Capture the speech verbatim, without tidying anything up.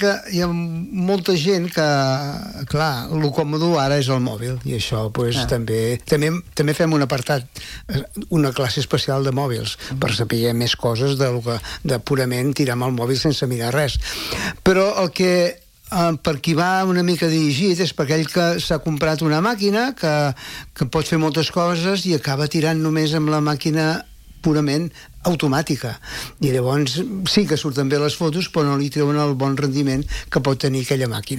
que hi ha molta gent que, clar, el còmode ara és el mòbil, i això pues, ah. també, també també fem un apartat, una classe especial de mòbils, mm. per saber més coses de, que, de purament tirar amb el mòbil sense mirar res. Però el que eh, per qui va una mica dirigit és per aquell que s'ha comprat una màquina que, que pot fer moltes coses i acaba tirant només amb la màquina purament automàtica, i llavors sí que surten bé les fotos però no li treuen el bon rendiment que pot tenir aquella màquina.